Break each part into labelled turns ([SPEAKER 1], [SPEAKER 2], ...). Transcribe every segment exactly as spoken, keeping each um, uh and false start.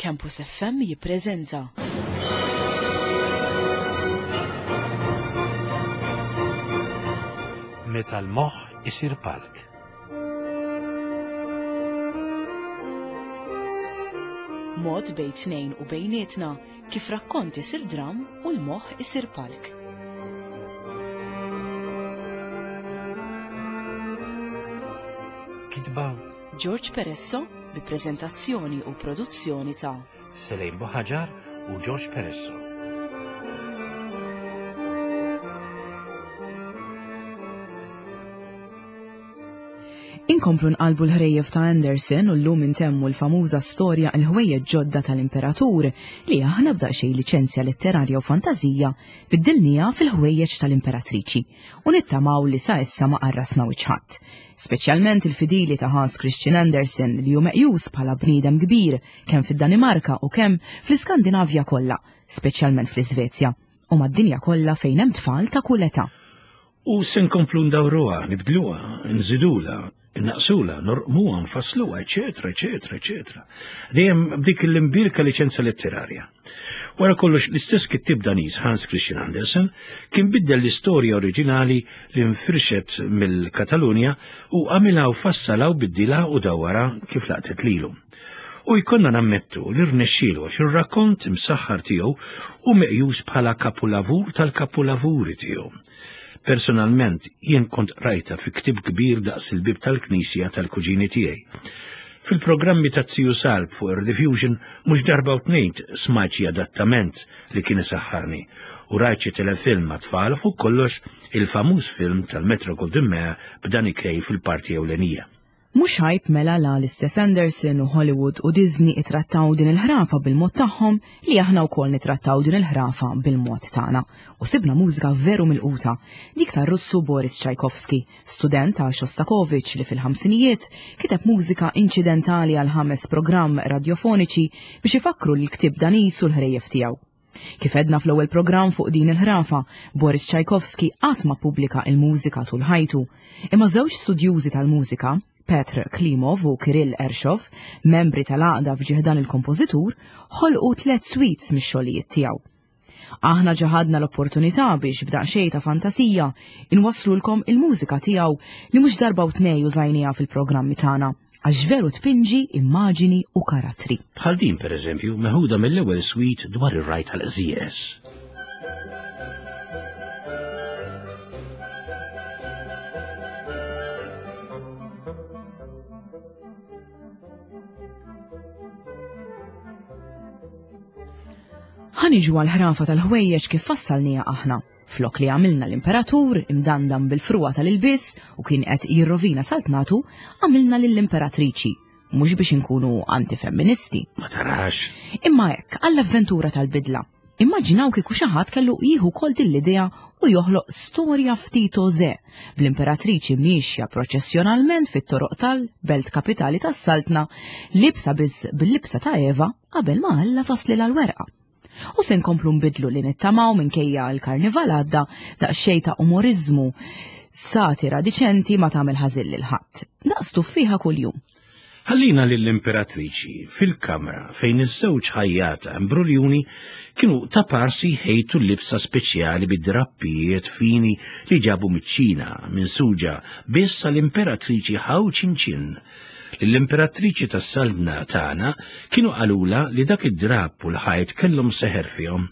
[SPEAKER 1] Campus F M jippreżenta
[SPEAKER 2] Meta l-moħħ isir palk.
[SPEAKER 1] Mod bejn tnejn u bejnietna kif rakkont isir dram u l-moħħ isir palk.
[SPEAKER 2] Kitba
[SPEAKER 1] George Peresso bi preżentazzjoni u produzzjoni ta'
[SPEAKER 2] Selejn Buħaġar u George Peresso.
[SPEAKER 1] Inkomplu nqalbu l-ħrejjef ta' Andersen u llum intemmu l-famuża storja Il-Ħwejjeġ Ġodda tal-Imperatur, li aħna b'daqsxejn liċenzja letterarja u fantażija biddilniha fil-Ħwejjeġ tal-Imperatriċi, u nittamaw li sa issa ma qarrasna wiċċ. Speċjalment il-fidili ta' Hans Christian Andersen, li hu meqjus bħala bniedem kbir kemm fid-Danimarka u kemm fl-Iskandinavja kollha, speċjalment fl-Iżvezja, u mad-dinja kollha fejn hemm tfal ta' kull età.
[SPEAKER 2] U se nkomplu ndawruha, nibdluha, nżidula, naqsula, norqmuha, nfassluha, eċetera, eċetera, eċetera. Dejjem b'dik l-imbierka liċenza letterarja. Wara kollox, l-istess kittib Daniż Hans Christian Andersen kien biddel l-istorja oriġinali li nfirxet mill-Katalunja u għamilha u fassalha u biddilha u dawwara kif laqtet lilu. U jkollna nammettu li rnexxielu, għax ir-rakkont imsaħħar tiegħu hu meqjus bħala kapulavur tal-kapulavuri tiegħu. Personalment, jien kont rajta fi ktib kbir daqs il-bib tal-knisja tal-kuġini tiegħi. Fil-programmi ta' Ziju Salb fuq Rediffusion mhux darba u tnejn smajt xi adattament li kien isaħħarni u rajt xi telefilm ma' tfal, fuq kollox il-famuż film tal-Metro Goldwyn Mayer b'Danny Kaye fil-parti ewlenija.
[SPEAKER 1] Mhux għajb mela la l-istess Andersen u Hollywood u Disney itrattaw din il-ħrafa bil-mod tagħhom li aħna wkoll nitrattaw din il-ħrafa bil-mod tagħna. U sibna mużika veru milquta, dik tar-Russu Boris Tchaikovsky, student ta' Shostakovich, li fil-ħamsinijiet kiteb mużika inċidentali għal ħames programm radiofoniċi biex ifakru l-ktieb Daniż u l-ħrejjef tiegħu. Kif għedna fl-ewwel programm fuq din il-ħrafa, Boris Tchaikovsky qatt ma pubblika il-mużika tul ħajtu. Imma żewġ studjużi tal-mużika, Petr Klimov u Kirill Ershov, membri tal-għaqda f'ġieħ dan il-kompożitur, ħolqu tliet suites mix-xogħlijiet tiegħu. Aħna ħadna l-opportunità biex b'daqsxejn ta' fantasija inwasslulkom il-mużika tiegħu li mhux darba u tnej użajniha fil-programmi tagħna, għax veru tpinġi immaġini u karattri.
[SPEAKER 2] Bħal din, per eżempju, meħuda mill-ewwel suite dwar ir-ragħaj tal-qżieqeż.
[SPEAKER 1] Ħa niġu għall-ħrafa tal-ħwejjeġ kif fassalniha aħna. Flok li għamilna l-imperatur imdandan bil-frugħa tal-ilbies u kien qed jirrovina saltnatu, għamilna lill-imperatriċi. Mhux biex inkunu antifemministi.
[SPEAKER 2] Ma tarax.
[SPEAKER 1] Imma hekk għall-avventura tal-bidla. Immaġinaw kieku xi ħadd kellu jieħu kol din l-idea u joħloq storja ftit oże bl-imperatriċi miexja proċessjonalment fit-toroq tal-belt kapitali tas-saltna, libsa biss bil-libsa ta' Eva qabel ma Alla faslilha l-werqa. U se nkomplu nbidlu li nittamaw, minkejja l-karnival għadda, daqsxejn ta' umorizmu, satira diċenti ma tagħmel ħażin lil ħadd. Daqs tuffiħa kuljum.
[SPEAKER 2] Ħallina lill-imperatriċi fil-kamra fejn iż-żewġ ħajjata imbruljuni kienu ta' parsi ħejtu l-libsa speċjali bid-drappijiet fini li ġabu miċ-Ċina minsuġa biss għall-imperatriċi Hao Chin. L-imperatriċi tas-saltna tagħna kienu qalula li dak id-drapp u l-ħajt kellhom seħer fihom,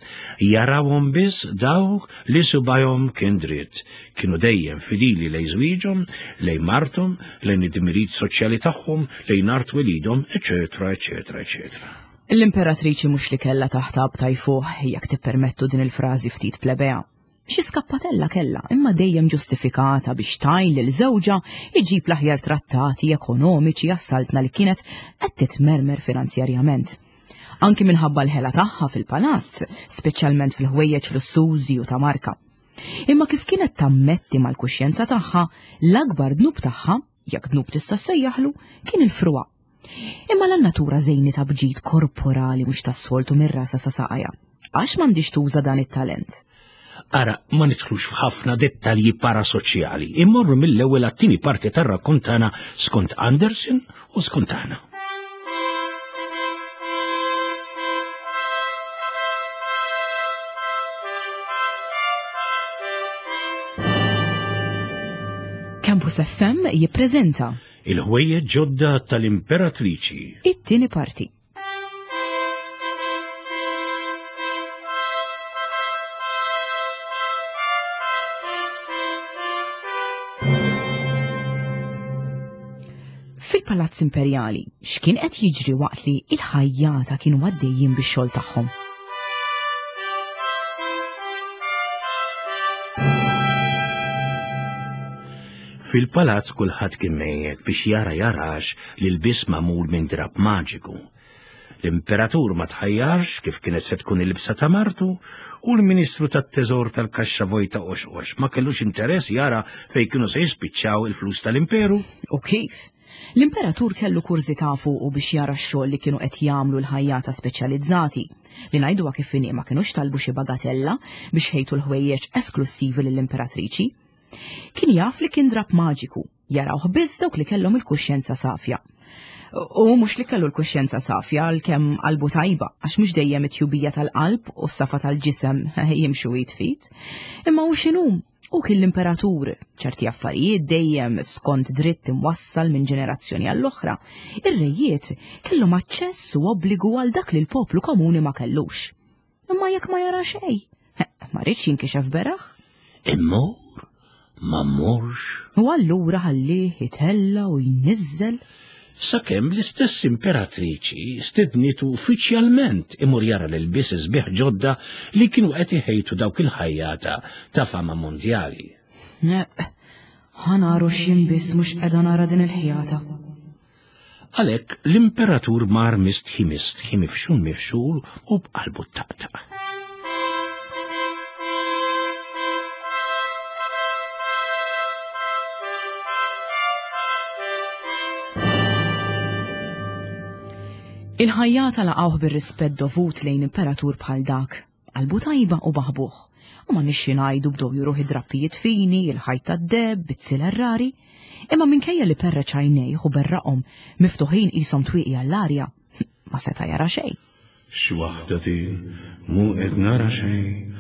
[SPEAKER 2] jarawhom biss dawk li subajhom kien dritt, kienu dejjem fidili lejn żwieġhom, lejn marthom, lejn id-dmirijiet soċjali tagħhom, lejn art welidhom, eċetera, eċetera, eċetera.
[SPEAKER 1] L-imperatriċi mhux li kellha taħt tajfuh, jekk tippermettu din il-frażi ftit plebea. Xi skappatella kella, imma dejjem ġustifikata biex tgħin lil żewġha iġib l-aħjar trattati ekonomiċi għas-saltna li kienet qed titmermer finanzjarjament. Anki minħabba l-ħela tagħha fil-palazz, speċjalment fil-ħwejjeġ lussużi u ta' marka. Imma kif kienet tammetti mal-kuxjenza tagħha, l-akbar dnub tagħha, jekk dnub tista' sejjaħlu, kien il-frugħa. Imma l-natura żejnitha b'ġid korporali mhux tas-soltu mir-rasa sa saqajha. Għax m'għandix tuża dan it-talent.
[SPEAKER 2] Ara, ma nidħlux f'ħafna dettalji parasoċjali, immorru mill-ewwel għat-tieni parti tar-rakkont tagħna skont Andersen u skont aħna.
[SPEAKER 1] Campus F M jippreżenta
[SPEAKER 2] Il-ħwejjeġ ġodda tal-Imperatriċi.
[SPEAKER 1] It-tieni parti. Fil-Palazz Imperjali, x'kien qed jiġri waqt li il-ħajjata kienu għaddejjin bix-xogħol tagħhom?
[SPEAKER 2] Fil-palazz kulħadd kien mejjed biex jara jarax li l-biss magħmul minn drab maġiku. L-imperatur ma tħajjarx kif kienet se tkun il-libsa ta' martu u l-ministru tat-teżor tal-kaxxa vojta oxox ma kellux interess jara fejn kienu se jispiċċaw il-flus tal-imperu.
[SPEAKER 1] U kif? L-imperatur kellu kurżità fuqu biex jara x-xogħol li kienu qed jagħmlu l-ħajjata speċjalizzati, li ngħiduha kif inhi ma kinux talbu xi bagatella biex ħejtu l-ħwejjeġ esklussivi lill-imperatriċi. Kien jaf li kien drab maġiku, jarawh biss dawk li kellhom il-kuxjenza safja. U mhux li kellu l-kuxjenza safja għalkemm qalbu tajba, għax mhux dejjem it-tjubija tal-qalb u s-safa tal-ġisem jimxu jitfit. Imma hu x'inhu? U kien l-imperatur, ċerti affarijiet dejjem skont dritt imwassal minn ġenerazzjoni għall-oħra, ir-rejiet kellhom aċċess u obbligu għal dak li l-poplu komuni ma kellux. Imma jekk ma jara xejn, ma rridx jinkixef beraħ.
[SPEAKER 2] Immur, ma mmurx.
[SPEAKER 1] U allura ħallih jitella u jniżżel.
[SPEAKER 2] Sakemm l-istess imperatriċi stednitu uffiċjalment imur jara l-ilbies sbieħ ġodda li kienu qed iħejtu dawk il-ħajjata ta' fama mondjali.
[SPEAKER 1] Neq, ħanaru x'jien biss mhux qiegħda nara din il-ħjata.
[SPEAKER 2] Għalhekk l-imperatur mar mistħi mistħi mifxul mifxul u b'qalbu taqtaq.
[SPEAKER 1] Il-ħajjata laqgħuh bir-rispett dovut lejn imperatur bħal dak, qalbu tajba u baħbuh, u ma nixxi ngħidu bdew juruh id-drappijiet fini, il-ħajt tad-deb, bizzil rari, imma minkejja li perreċ għajnejh u berraqhom miftuħin qishom twieqi għall-arja, ma seta' jara xejn.
[SPEAKER 2] X'waħda din, mhu qed nara xejn,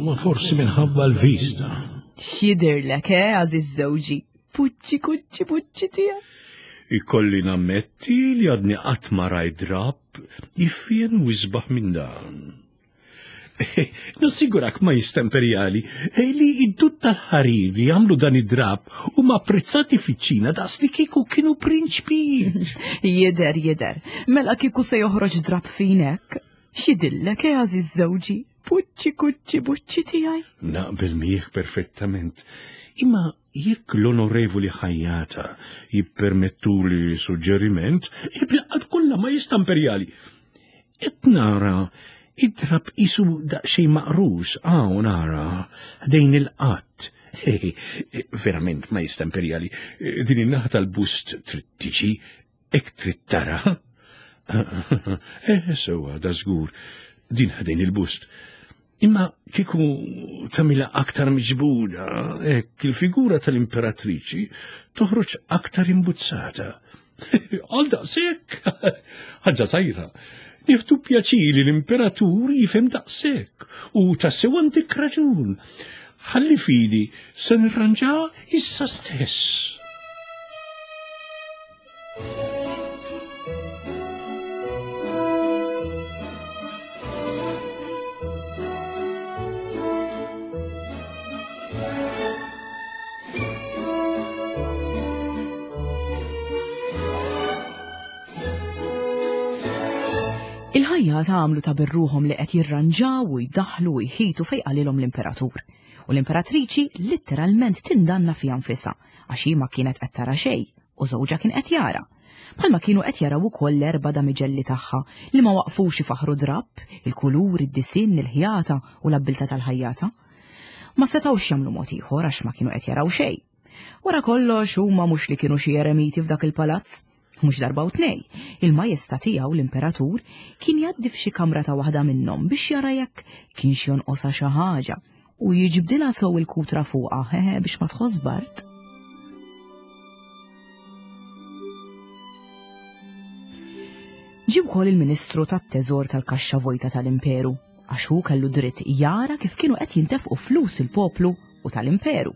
[SPEAKER 2] ma forsi minħabba l-vista.
[SPEAKER 1] X'jidhirlek, eh, għażiż żewġi? Puċċi, kuċċi, puċċi tiegħek.
[SPEAKER 2] Ikolli nammetti li għadni qatt ma rajt drab jiffien u jisbaħ minn dan. Nassigurak ma jistemperjali li id-dud tal-ħarir li jagħmlu dan id-drab huma apprezzati fiċ-Ċina daqs li kieku kienu prinċpijiet.
[SPEAKER 1] Jidher, jidher, mela kieku se joħroġ drab finek. X'jidillek, eh, għażiż żewġi? Puċċi, kuċċi, buċċi tiegħi.
[SPEAKER 2] Naqbel miegħek perfettament. Imma jekk l-onorevoli ħajjata jippermettuli suġġeriment, bil-qalb kollha ma jistamperjali. Qed nara id-drab qisu daqsxejn maqrus, hawn nara ħdejn il-qatt. Verament ma jistamperjali, din in-naħa tal-bust trid tiġi, hekk trid tara. Eh, sewwa, da żgur, din ħdejn il-bust. Imma kieku tagħmilha aktar miġbuda, hekk il-figura tal-imperatriċi toħroġ aktar imbuzzata. Għal daqshekk, ħaġa żgħira. Nieħdu pjaċir li l-imperatur jifhem daqshekk u tassew għandek raġun. Ħalli fidi se nirranġa issa stess.
[SPEAKER 1] Il-ħajjata għamlu ta' birruhom li qed jirranġaw u jdaħlu u jħitu fejn qalilhom l-imperatur. U l-imperatriċi litteralment tindanna fiha nfisha għax hi ma kienet qed tara xejn u żewġha kien qed jara. Bħalma kienu qed jaraw ukoll l-erba' damiġelli tagħha li ma waqfux ifaħru drapp, il-kulur, id-disinn, il-ħjata u l-abbiltà tal-ħajjata. Ma setgħux jagħmlu mod ieħor għax ma kienu qed jaraw xejn. Wara kollox huma mhux li kienu xi eremiti f'dak il-palazz. Mhux darba u tnej, il-majestà tiegħu l-imperatur kien jgħaddi f'xi kamra ta' waħda minnhom biex jara jekk kienx jonqosha xi ħaġa u jiġbdilha sew il-kutra fuqha, hehe, biex ma tħoss bard. Ġie wkoll il-Ministru tat-Teżor tal-Kaxxa Vojta tal-Imperu, għax hu kellu dritt jara kif kienu qed jintefqu flus il-poplu u tal-Imperu.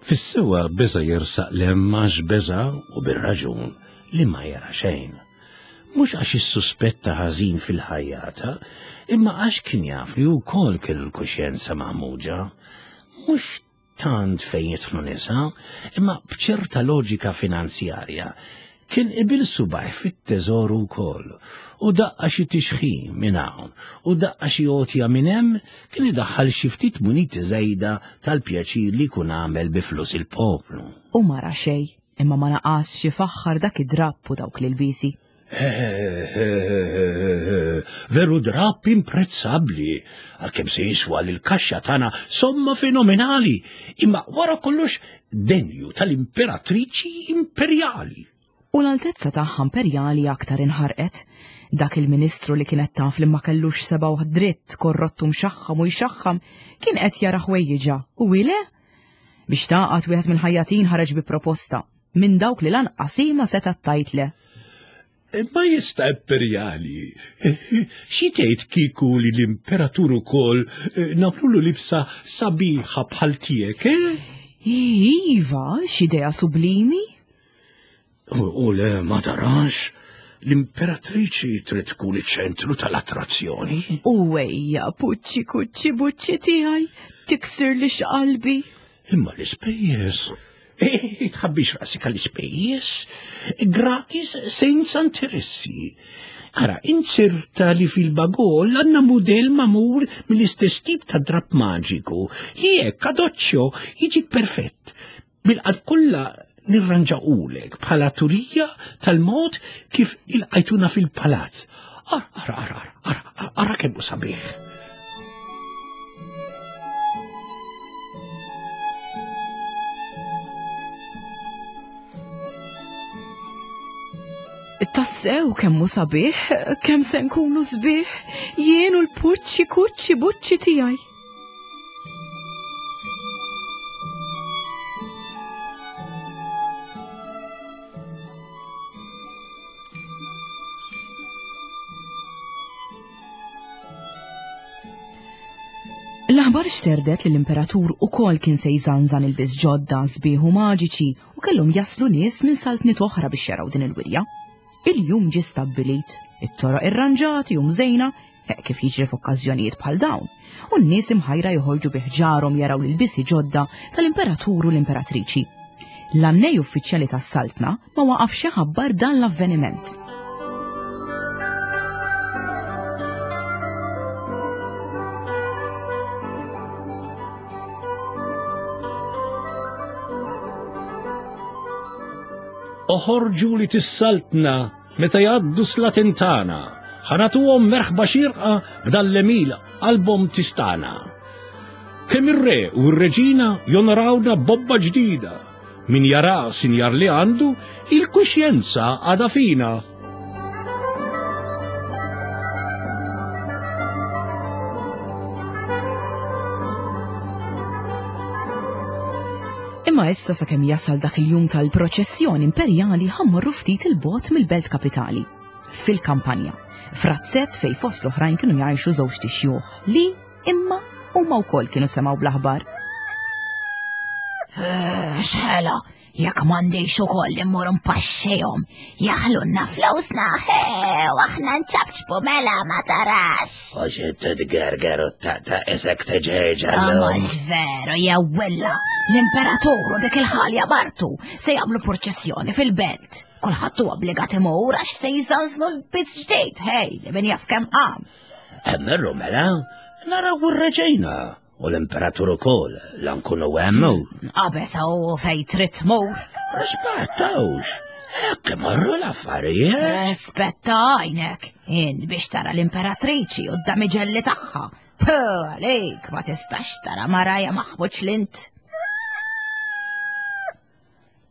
[SPEAKER 2] Fis-sewa beża' jersaq 'l hemm għax beża' u bir-raġun li ma jara xejn. Mhux għax issuspetta ħażin fil-ħajjata, imma għax kien jaf li wkoll kellu l-kuxjenza maħmuġa. Mhux tant fejn jidħlu nisa, imma b'ċerta loġika finanzjarja kien ibil subgħajh fit-teżoru wkoll u daqqa xi tixħim minn hawn u daqqa xi għotja minn hemm kien idaħħal xi ftit muniti żejda tal-pjaċir li jkun għamel bi flus il-poplu.
[SPEAKER 1] U ma ra xejn, imma ma naqasx ifaħħar dak id-drapp u dawk l-ilbiesi.
[SPEAKER 2] Veru drapp imprezzabbli, għalkemm se jiswa lill-kaxxa tagħna somma fenomenali, imma wara kollox denju tal-imperatriċi imperjali.
[SPEAKER 1] U l-altezza tagħha imperjali aktar inħarqet. Dak il-ministru li kienet taf li ma kellux seba' u dritt korrottu mxaħħam u jxaħħam kien qed jara ħwejjiġa u ile? Biex taqgħad wieħed mill-ħajjatin ħareġ bi proposta minn dawk li lanqas hi ma setgħet tgħid le.
[SPEAKER 2] Ma jista' imperjali. Xi tgħid kieku li l-imperatur ukoll nagħmlulu libsa sabiħa bħal tiegħek, eh?
[SPEAKER 1] Iva, x'idea sublimi.
[SPEAKER 2] U le ma tarax, l-imperatriċi trid tkun iċ-ċentru tal-attrazzjoni.
[SPEAKER 1] U ejja, puċċi kuċċi buċċi tiegħi, tiksir li x'qalbi.
[SPEAKER 2] Imma l-ispejjeż. Eh, tħabbix rasik għall-ispejjeż, gratis senza interessi. Ara, inzerta li fil-bagol għandna mudell magħmul mill-istess tip ta' drapp maġiku li hekk adoċċjo jiġik perfett. Bil-qalb kollha nirranġawlek bħala turija tal-mod kif ilqajtuna fil-palazz. Ara, ara, ara, ara, ara kemm hu sabiħ.
[SPEAKER 1] Tassew kemm hu sabiħ, kemm se nkunu sbieħ, jien u l-puċċi kuċċi buċċi tiegħi. L-aħbar xterdet li l-imperatur ukoll kien se jżanżan il-biss ġodda sbieħ u maġiċi u kellhom jaslu nies minn saltniet oħra biex jaraw din il-wirja. Il-jum ġie stabbilit, it-toroq irranġati u mżejna, hekk kif jiġri f'okkażjonijiet bħal dawn, u n-nies imħajra joħorġu bi ħġarhom jaraw l-ilbiesi ġodda tal-imperatur u l-imperatriċi. L-annej uffiċjali tas-saltna ma waqafx iħabbar dan l-avveniment.
[SPEAKER 2] Oħorġu li tis-saltna meta jgħaddu slaten tagħna, ħa nagħtuhom merħba xierqa b'dan l-emil qalbhom tistana. Kemm ir-re u r-reġina jonorawna bobba ġdida, min jara sinjar li għandu il-kuxjenza għadha fina.
[SPEAKER 1] Imma issa sakemm jasal dak il-jum tal-proċessjoni imperjali ħa mmorru ftit il-bogħod mill-belt kapitali, fil-kampanja, f'razzett fejn fost l-oħrajn kienu jgħixu żewġ tixjuħ li imma huma wkoll kienu semgħu bl-aħbar.
[SPEAKER 3] X'ħela, jekk m'għandix ukoll immur npaxxihom, jaħlunna flewsna, u aħna nċabċbu mela ma tarax.
[SPEAKER 2] Għax inti tgerger u taqta' isek tiġeġa
[SPEAKER 3] llum. Mhux veru, jew willa, l-imperatur u dik il-ħalja martu se jagħmlu purċessjoni fil-belt. Kulħadd huwa obbligat imur għax se jżanżnu l-bizz ġdid, hej, li min jaf kemm qam.
[SPEAKER 2] Emmerru mela, naraw ir-reġina. U l-imperatur ukoll, la nkunu hemm.
[SPEAKER 3] Qabeż hawn fejn trid tmur.
[SPEAKER 2] Rispettawx, hekk imorru l-affarijiet.
[SPEAKER 3] Rispetta għajnek, int biex tara l-imperatriċi u d-damiġelli tagħha. Puh, għalik ma tistax tara maraja maħbuċ lint.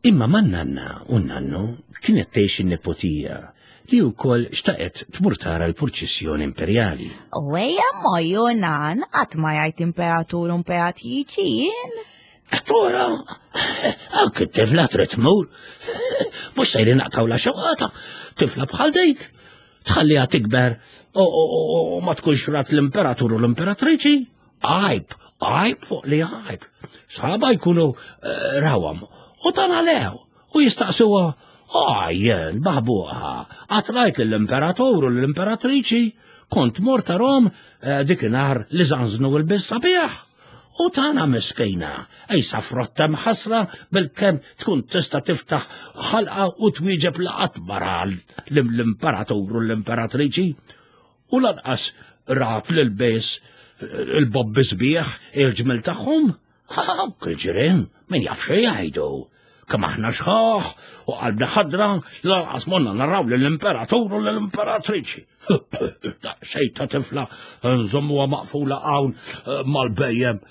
[SPEAKER 2] Imma man-nanna u n-nannu kienet tgħix in-nepotija li wkoll xtaqet tmur tara l-purċissjoni imperjali.
[SPEAKER 3] U ejja mojju nan, qatt ma jgħid imperatur u imperatriċi jien.
[SPEAKER 2] Tora, anke t-tifla trid tmur. Mhux sejrin naqtgħu la xewqata, tifla bħal dik. Tħalliha tikber u ma tkunx rat l-imperatur u l-imperatriċi. Għajb, Għajb fuq li għajb. Sħaba jkunu eh, rawhom u tan għalew u jistaqsuha għajjen baħbuħa għatrajt lill-imperatur u l-imperatriċi kont mort tarhom eh, dik inhar li żanżnu l-biss sabiħ. U tana miskina, ejsa frotta mħasra bil-kem tkun tista tiftaħ ħalqa u twieġeb laqat mara l-imperatur u l-imperatriċi. U lanqas rat l-bes il-bobbi sbieħ il-ġmel tagħhom. Dawk il-ġirien, min jaf xi jgħidu. Kemm aħna xħaħ u qalbna ħadra lanqas monna naraw lill-imperatur u l-imperatriċi. Xejn ta' tifla nżommuha maqfula hawn eh, mal-bejjem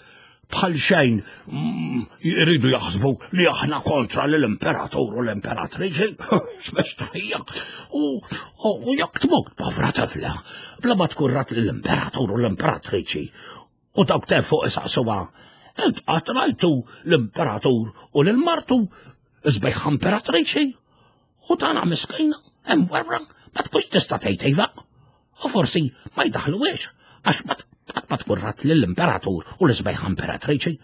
[SPEAKER 2] bħal xejn mm, jridu jaħsbu li aħna kontra l-imperatur u l-imperatriċi. X'mestħija. U u jekk tmut povra tifla bla ma tkun rat l-imperatur u l-imperatriċi. U dawk te fuq isaqsuha. Int qatt rajtu l-imperatur u lil-martu sbejħa imperatriċi. U tana miskina, hemm werra, ma tkunx tista' tgħid iva. U forsi ma jdaħluwiex għax ma qatt ma tkun rat lill-imperatur u l-sbejħa imperatriċi.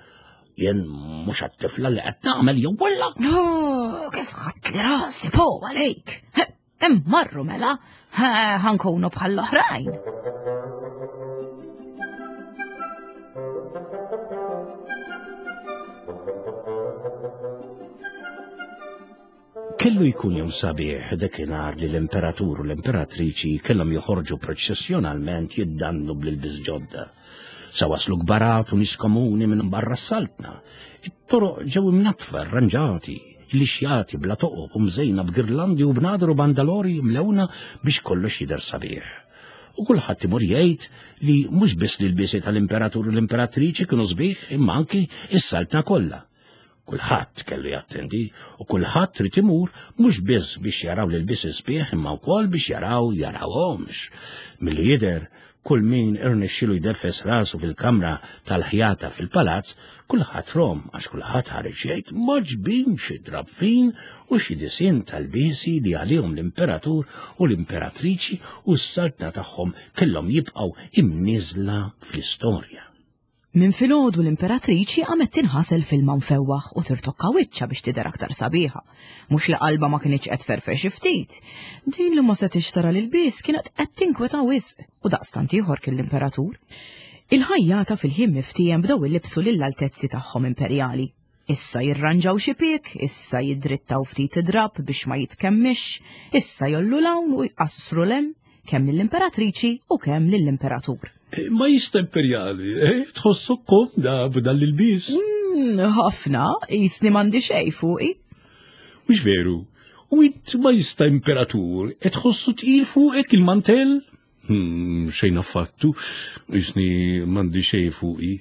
[SPEAKER 2] Jien mhux għat-tifla li qed tagħmel jew wella.
[SPEAKER 3] Oh, kif ħadd li rasi po għalik. Immarru mela, ħankunu bħall-oħrajn.
[SPEAKER 2] Kellu jkun jum sabiħ dakinhar li l-imperatur u l-imperatriċi kellhom joħorġu proċessjonalment jiddannu bl-ilbies ġodda. Sa waslu kbarat u nies komuni minn barra s-saltna. It-toroq ġew imnatfa, arranġati, lixjati bla toqob u mżejna b'girlandi u b'nadru bandalori mlewna biex kollox jidher sabiħ. U kulħadd imur jgħid li mhux biss l-ilbiesi tal-imperatur u l-imperatriċi kienu sbieħ imma anki s-saltna kollha. Kulħadd kellu jattendi u kulħadd trid imur mhux biss biex jaraw l-ilbies sbieħ imma wkoll biex jaraw jarawhomx. Milli jidher kull min irnexxielu jdeffes rasu fil-kamra tal-ħjata fil-palazz, kulħadd rom għax kulħadd ħareġ jgħid maġbin xi drabfin u xi disinn tal-biesi li għalihom l-imperatur u l-imperatriċi u s-saltna tagħhom kellhom jibqgħu imniżla fl-istorja.
[SPEAKER 1] Minn filgħodu l-imperatriċi qamet tinħasel f'ilma mfewwaħ u tirtokka wiċċha biex tidher aktar sabiħa. Mhux li qalba ma kinitx qed tferfer xi ftit. Din li ma setgħetx tara l-ilbies kienet qed tinkweta wisq u daqstant ieħor kien l-imperatur. Il-ħajjata fil-ħin miftiem bdew ilibsu lill-altezzi tagħhom imperjali. Issa jirranġaw xi pik, issa jiddrittaw ftit id-drab biex ma jitkemmix, issa jollu l-hawn u jqassru l-hemm kemm lill-imperatriċi u kemm lill-imperatur.
[SPEAKER 4] Ma jista imperjali, eh? Tħossok komda b'dan l-ilbies.
[SPEAKER 1] Mm, ħafna, jisni m'għandi xejn fuqi.
[SPEAKER 4] Mhux veru, u int ma jista imperatur, e tħossu tqil fuqek il-mantell? Hmm, xejn affattu, jisni m'għandi xejn fuqi.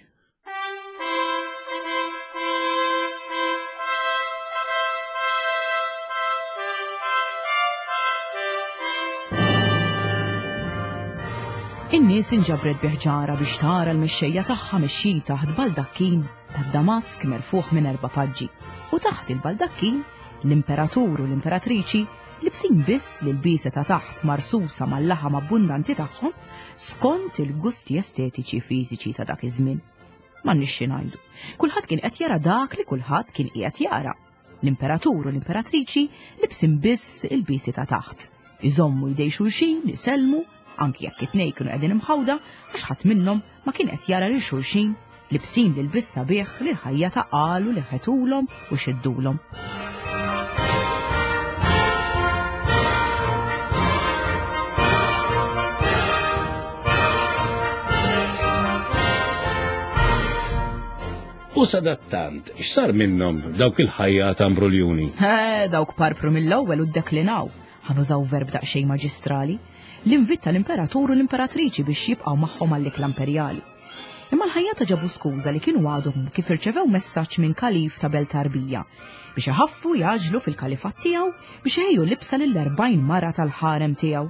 [SPEAKER 1] In-nies inġabret biħġara biex tara l-mexxejja tagħha mexxin taħt baldakkin tad-Damask merfuħ minn erba' paġġi. U taħt il-baldakkin l-imperatur u l-imperatriċi libsin biss l-ilbiesa ta' taħt marsusa mal-laħam abbundanti tagħhom skont il-gusti estetiċi fiżiċi ta' dak iż-żmien. M'għandniex xi ngħidu. Kulħadd kien qed jara dak li kulħadd kien qiegħed jara. L-imperatur u l-imperatriċi libsin biss il-biesi ta' taħt. Iżommu jdej xulxin, isellmu, anki jekk it-tnejn kienu qegħdin imħawda għax ħadd minnhom ma kien qed jara lil xulxin libsin l-ilbies sabiħ li l-ħajja ta' qalu li ħetulhom u xiddulhom.
[SPEAKER 4] U sadattant, x'sar minnhom dawk il-ħajja ta' Ambroljuni?
[SPEAKER 1] Eh, dawk parpru mill-ewwel u ddeklinaw. Ħanużaw verb daqsxejn maġistrali. L-invit tal-imperatur u l-imperatriċi biex jibqgħu magħhom għall-ikla imperjali. Imma l-ħajjata ġabu skuża li kienu għadhom kif irċevew messaġġ minn kalif ta' Belt Arbija biex iħaffu jaġlu fil-kalifat tiegħu biex iħejju libsa lill-erbgħin mara tal-ħarem tiegħu.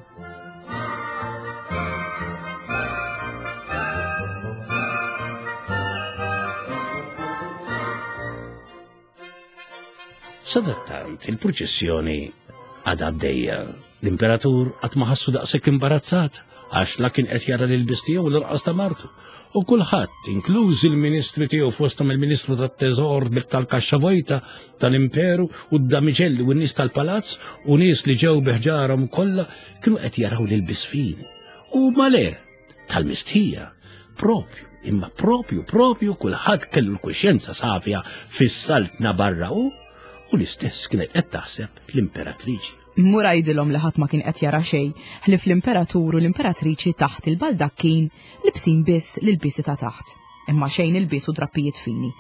[SPEAKER 2] Sadattant, il-proċessjoni għadha għaddejja. L-imperatur qatt ma ħassu daqshekk imbarazzat għax la kien qed jara l-ilbies tiegħu l-irqas ta' martu. U kulħadd, inkluż il-ministri tiegħu fosthom il-Ministru tat-Teżor tal-Kaxxa Vojta tal-Imperu u d-damiġelli u n-nies tal-palazz u nies li ġew biħġarhom kollha kienu qed jaraw l-ilbies fin. U male, tal-mistħija, propju, imma propju, propju kulħadd kellu l-kuxjenza safja fis-saltna barra u u l-istess kienet qed taħseb l-imperatriċi.
[SPEAKER 1] Mur għidilhom li ħadd ma kien qed jara xejn, ħlief l-imperatur u l-imperatriċi taħt il-baldakkin libsin biss l-ilbiesi ta' taħt, imma xejn ilbies u drappijiet fini.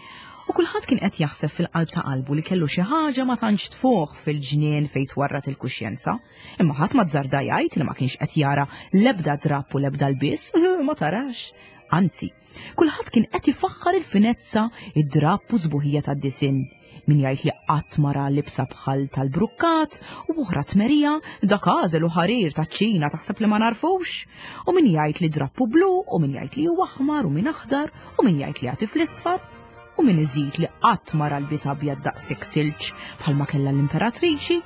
[SPEAKER 1] U kulħadd kien qed jaħseb fil-qalb ta' qalbu li kellu xi ħaġa ma tantx tfuħ fil-ġnien fejn twarrat il-kuxjenza, imma ħadd ma żarda jgħid li ma kienx qed jara l-ebda drapp u l-ebda lbies, ma tarax. Anzi, kulħadd kien qed ifaħħar il-finezza, id-drapp u sbuħija tad-disinn. Min jgħid li qatt ma ra libsa bħal tal-brukkat u oħra tmerija, dak għażel u ħarir taċ-Ċina taħseb li ma narfux. U min jgħid li drappu blu, u min jgħid li huwa aħmar u min aħdar, u min jgħid li għati fl-isfar, u min iżid li qatt ma ra lbies abjad daqshekk silġ bħalma kellha l-imperatriċi,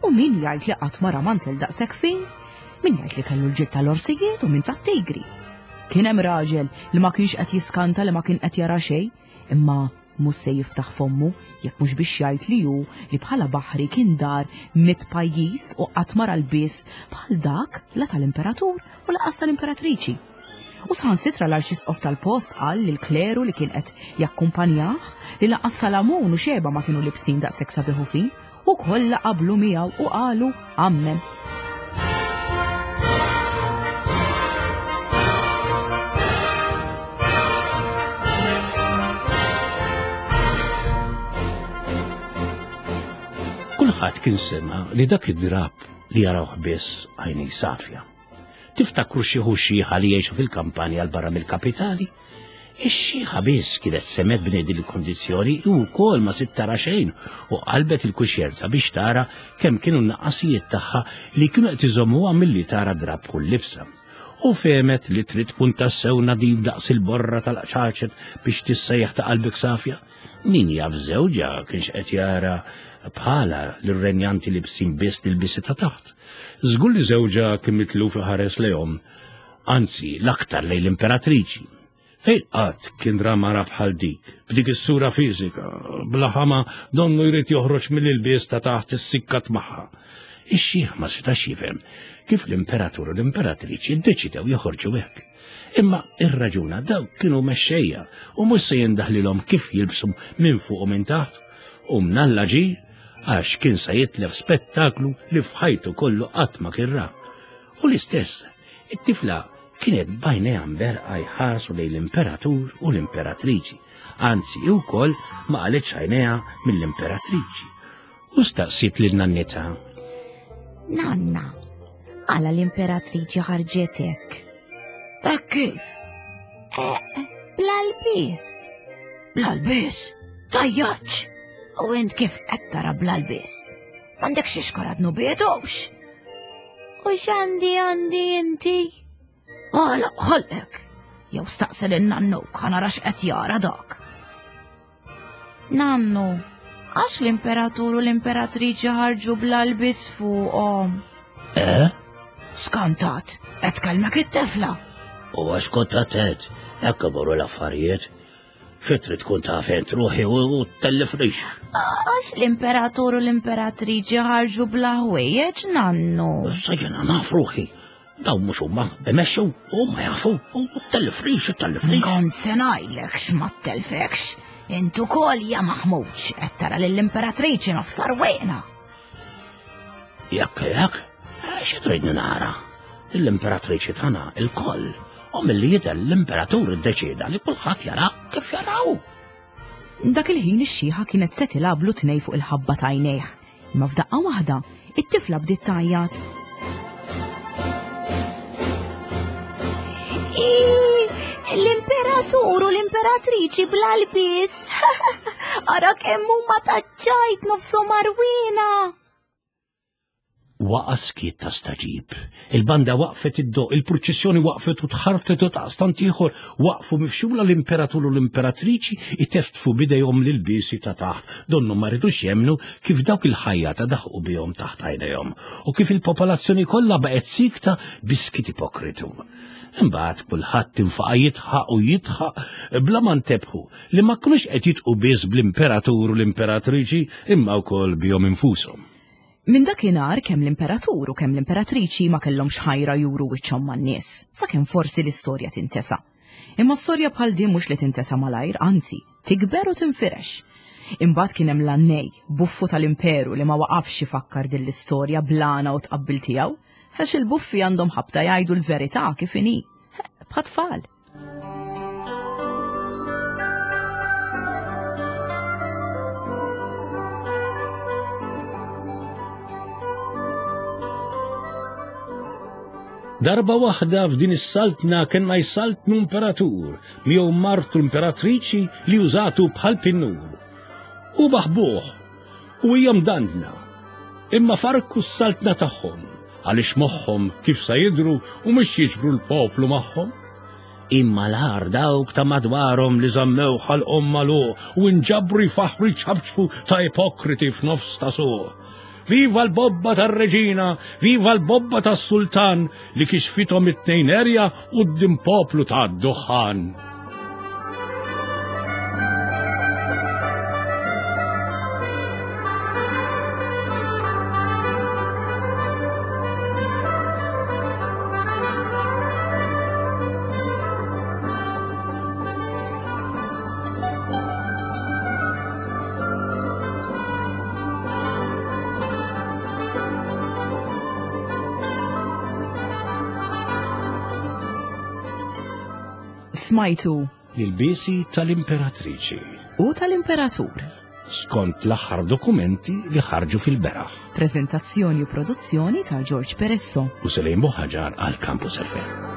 [SPEAKER 1] u min jgħid li qatt ma ra mantel daqshekk fin, min jgħid li kellu l-ġild tal-orsijiet u min tat-tigri. Kien hemm raġel li ma kienx qed jiskanta li ma kien qed jara xejn, imma mhux se jiftaħ fommu jekk mhux biex jgħid li hu li bħala baħri kien dar mit pajjiż u qatt ma ra lbies bħal dak la tal-imperatur u lanqas tal-imperatriċi. U saħansitra l-arċisqof tal-post qal lil kleru li kien qed jakkumpanjah li lanqas Salamun u Xeba ma kienu libsin daqshekk sabiħ u fin, u kollha qablu miegħu u qalu ammen.
[SPEAKER 2] Kulħadd kien sema li dak id-drab li jarawh biss għajnej safja. Tiftakru xi xiħa li jgħixu fil-kampanja l barra mill-kapitali? Ix-xiħa biss kienet semet b'nedi l-kondizzjoni u wkoll ma sitt tara xejn u qalbet il-kuxjenza biex tara kemm kienu n-naqqasijiet tagħha li kienu qed iżommuha milli tara drab kull libsa. U fehmet li trid tkun tassew nadif daqs il-borra tal-qċaċet biex tissejjaħ ta' qalbek safja. Min jaf żewġha kienx qed jara bħala l-renjanti li bsin biss l-bisi ta' taħt. Żgur li żewġha kien mitluf iħares lejhom, anzi l-aktar lejn l-imperatriċi. Fejn qatt kien ra mara bħal dik, b'dik is-sura fiżika, bla ħama donnu jrid joħroġ mill-ilbies ta' taħt is-sikkat magħha. Ix-xiħ ma setax jifhem kif l-imperatur u l-imperatriċi ddeċidew joħorġu hekk. Imma ir-raġuna dawk kienu mexxejja u mhux se jindaħlilhom kif jilbsu minn fuq u minn taħt, u mnalla ġie għax kien se jitlef spettaklu li f'ħajtu kollu qatt ma kien ra. U l-istess, it-tifla kienet b'għajnejha mberqa jħarsu lejn l-imperatur u l-imperatriċi, anzi wkoll ma qalitx għajnejha mill-imperatriċi. U staqsiet lil nannitha.
[SPEAKER 3] Nanna, għala l-imperatriċi ħarġet hekk? Hekk kif? Eh, bla lbies. Bla lbies? Tajjaċ! U int kif qed tara bla lbies? M'għandekx ixkora dnubietux. U x'għandi għandi inti? Għala ħolqek. Jew staqsi lil nannuk ħa nara x'qed jara dak. Nannu, għax l-imperatur u l-imperatriċi ħarġu bla lbies fuqhom?
[SPEAKER 2] Eh?
[SPEAKER 3] Skantat, qed kellmek it-tifla.
[SPEAKER 2] U għax kont attent, hekk imorru l-affarijiet. Xi trid tkun taf int ruħi u tellifnix.
[SPEAKER 3] Għax l-imperatur u l-imperatriċi ħarġu bla ħwejjeġ, nannu.
[SPEAKER 2] Issa jiena naf ruħi. Dawn mhux huma imexxu u ma jafu u tellifnix, tellifnix.
[SPEAKER 3] Kont se ngħidlek x'ma ttelfekx. Int ukoll ja maħmuġ qed tara lill-imperatriċi nofsar wieqna.
[SPEAKER 2] Jekk jekk, xi tridni nara? L-imperatriċi tagħna il-koll. U milli jidher l-imperatur iddeċieda li kulħadd jara kif jaraw.
[SPEAKER 1] Dak il-ħin ix-xiħa kienet se tilablu tnej fuq il-ħabba ta' għajnejh. Imma f'daqqa waħda, it-tifla bdiet tgħajjat.
[SPEAKER 3] L-imperatur u l-imperatriċi bla lbies. Ara kemm huma taċċajt nofshom arwina.
[SPEAKER 2] Waqa' skiet ta' staġib. Il-banda waqfet id-doq, il-purċissjoni waqfet u tħartet u taqstant ieħor waqfu mifxula l-imperatur u l-imperatriċi iteftfu bidejhom lil-bisi ta' taħt. Donnu ma ridux jemnu kif dawk il-ħajja ta' daħqu bihom taħt għajnejhom u kif il-popolazzjoni kollha baqgħet sikta biskit ipokritu. Imbagħad kulħadd infaqa' jidħaq u jidħaq bla ma ntebħu li ma kinux qed jitqu biss bl-imperatur u l-imperatriċi imma wkoll bihom infushom.
[SPEAKER 1] Minn dakinhar kemm l-imperatur u kemm l-imperatriċi ma kellhomx ħajra juru wiċċhom man-nies, sakemm forsi l-istorja tintesa. Imma storja bħal din mhux li tintesa malajr, anzi, tikber u tinfirex. Imbagħad kien hemm l-annej, buffu tal-imperu li ma waqafx ifakkar din l-istorja blana u tqabbil tiegħu, għax il-buffi għandhom ħabta jgħidu l-verità kif inhi, bħat-tfal.
[SPEAKER 2] Darba waħda f'din is-saltna kellna jsaltnu imperatur, miegħu martu l-imperatriċi li użatu bħal pinnur. U baħbuh, u hija mdandna, imma farku s-saltna tagħhom, għaliex moħħhom kif sa jidhru u mhux jiġbru l-poplu magħhom. Imma l-għar dawk ta' madwarhom li żammew ħalqhom magħluq u nġabru jfaħħru jċabċbu ta' ipokriti f'nofs ta' suq. Viva l-bobba tar-reġina, viva l-bobba tas-sultan li kixfithom it-tnejn erja quddiem poplu tad-duħħan.
[SPEAKER 1] Smajtu
[SPEAKER 2] L-bisi tal-imperatriċi
[SPEAKER 1] u tal-imperatur.
[SPEAKER 2] Skont l-aħħar dokumenti li ħarġu fil-beraħ.
[SPEAKER 1] Prezentazzjoni u produzzjoni ta' George Peresso
[SPEAKER 2] u Selejn Buħaġar għal Campus F M.